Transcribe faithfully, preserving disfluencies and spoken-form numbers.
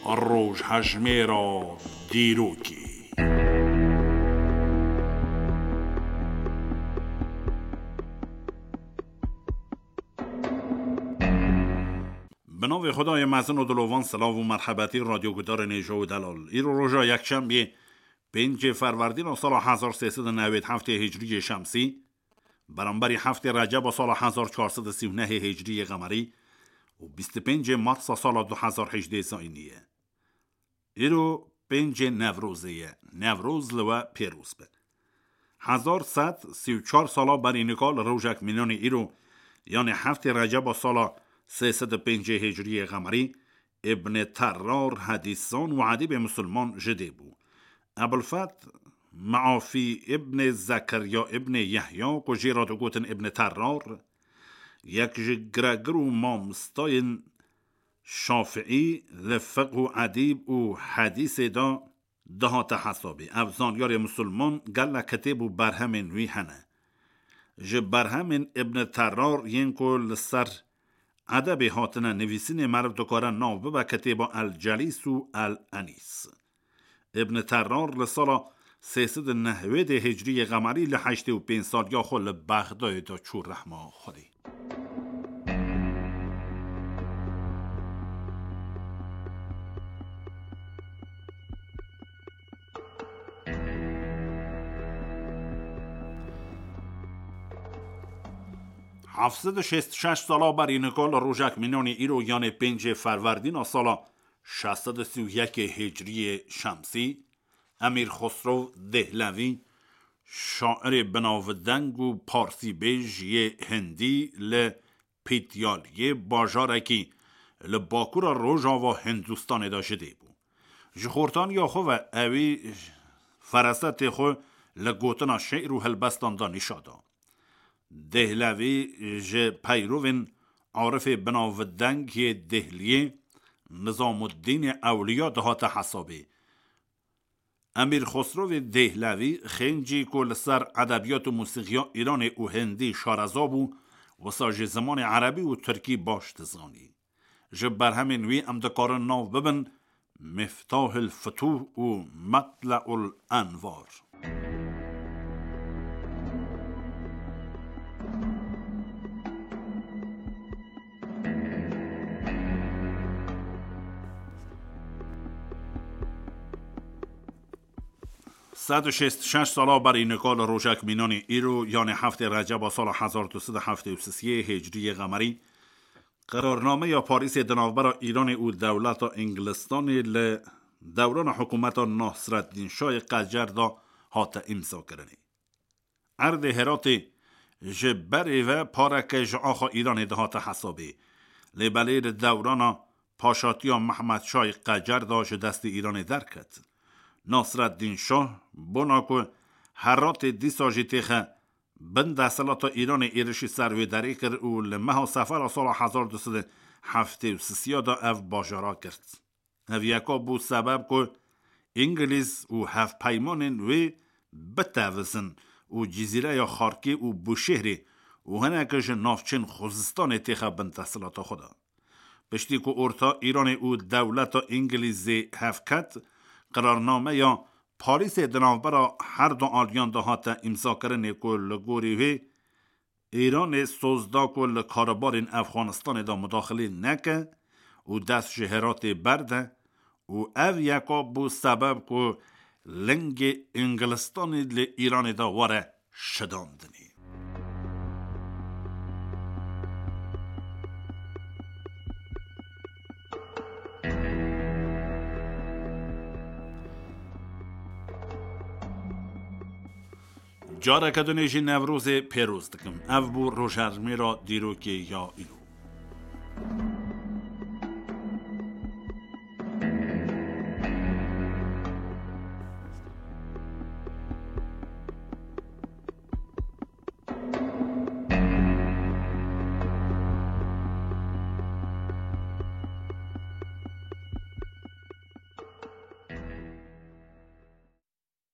Rojhejmêra dîrokê. Bi navê Xwedayê mezin û dilovan, silav û merhebetî radyogudarên hêja û delal. Îro roja yekşembiyê, pêncê ferwerdîna sala hezar sê sed û newêd heftê hicriyê şemsî, beramberî heftê receba sala hezar çar sed û sî û nehê hicriyê qemerî û bîst û pêncê marsa sala du hezar hejdê zayînî ye. Îro pêncê Newrozê ye. Newroz li we pêroz be. Hezar sed sî û çar sala berî nika li rojek mînanî îro, yanê heftê receba sala sê sed û pêncê hicriyê qemerî, Îbnê Terrar hedîsan û edîbê misilman ji dê bû. Ebulfet Meafî Îbnê Zekeriya Îbnê Yehya, ku jê re digotin Îbnê Terrar, yek ji giregir û mamostayên Şafiî li fiqh û edîb û hedîsê de dihate hesabê. Ev zanyarê misilman gelek kitêb û berhemên wî hene. Ji berhemên Îbnê Terrar yên ku li ser edebê hatine nivîsînê meriv dikare nav bibe kitêba El Celîs û El Enîs. Îbnê Terrar li sala sê sed û newêdê hicriyê qemerî li heştê û pênc saliya xwe li Bexdayê de çû rehma Xwedê. Heft sed û şêst û şeş sala berî nika li rojek mînanî îro, yanê pêncê ferwerdîna sala şeş sed û sî û yekê hicriyê şemsî, Emîr Xosrov Dêhlevî, şairê binavdeng û parsîbêj yê hindî, li Pîtyaliyê, bajarekî li bakura rojava Hindûstanê de ji dê bû. Ji xortaniya xwe ve ewî ferasetê xwe li gotina şi'r û helbestan de nîşa da. Dêhlevî ji peyrovên arifê binavdeng yê Dêhliyê, Nizamuddînê Ewliya, dihate hesabê. Emîr Xosrovê Dêhlevî xêncî ku li ser edebiyat û mûsîqiya Îranê û Hindî şareza bû, wisa jî zimanê erebî û tirkî baş dizanî. Ji berhemên wî em dikarin nav bibin Miftahil Futuh û Matleul Envar. Sed û şêst û şeş sala berî nika li rojek mînanî îro, yanê heftê Receba sala hezar du sed û heftê û sisê hicriyê qemerî, qerarnameya Parîsê di navbera Îranê û dewleta Îngilistanê li dewrana hikûmeta Nasreddîn Şahê Qecer de hate îmzakirinê. Erdê Heratê ji berê ve pareke ji axa Îranê dihate hesabê. Lê belê di dewrana paşatiya Mehmed Şahê Qecer de ji destê Îranê derket. Nasreddîn Şah, bona ku Heratê dîsa jî têxe bin desthilata Îranê, êrişî ser wê derê kir û li meha Sefera sala hezar du sed û heftê û sisê de ev bajara girt. Ev yeka bû sebeb ku Îngilîz û hevpeymanên wê bitevizin û Cizîreya Xarkê û Bûşêhrê û hinek ji navçên Xuzistanê têxe bin desthilata xwe de. Piştî ku orta Îranê û dewleta Îngilîzê hev ket, qirarnameya Parîsê di navbera her du aliyan de hate îmzakirinê ku li gorî wê Îranê soz da ku li karûbarên Efxanistanê de mudaxilê neke û dest ji Heratê berde û ev yeka bû sebeb ku lingê Îngilistanê li Îranê de were şidandinê. Careke dinê jî Newrozê pêroz dikim. Ev bû rojhejmêra dîrokê ya îro.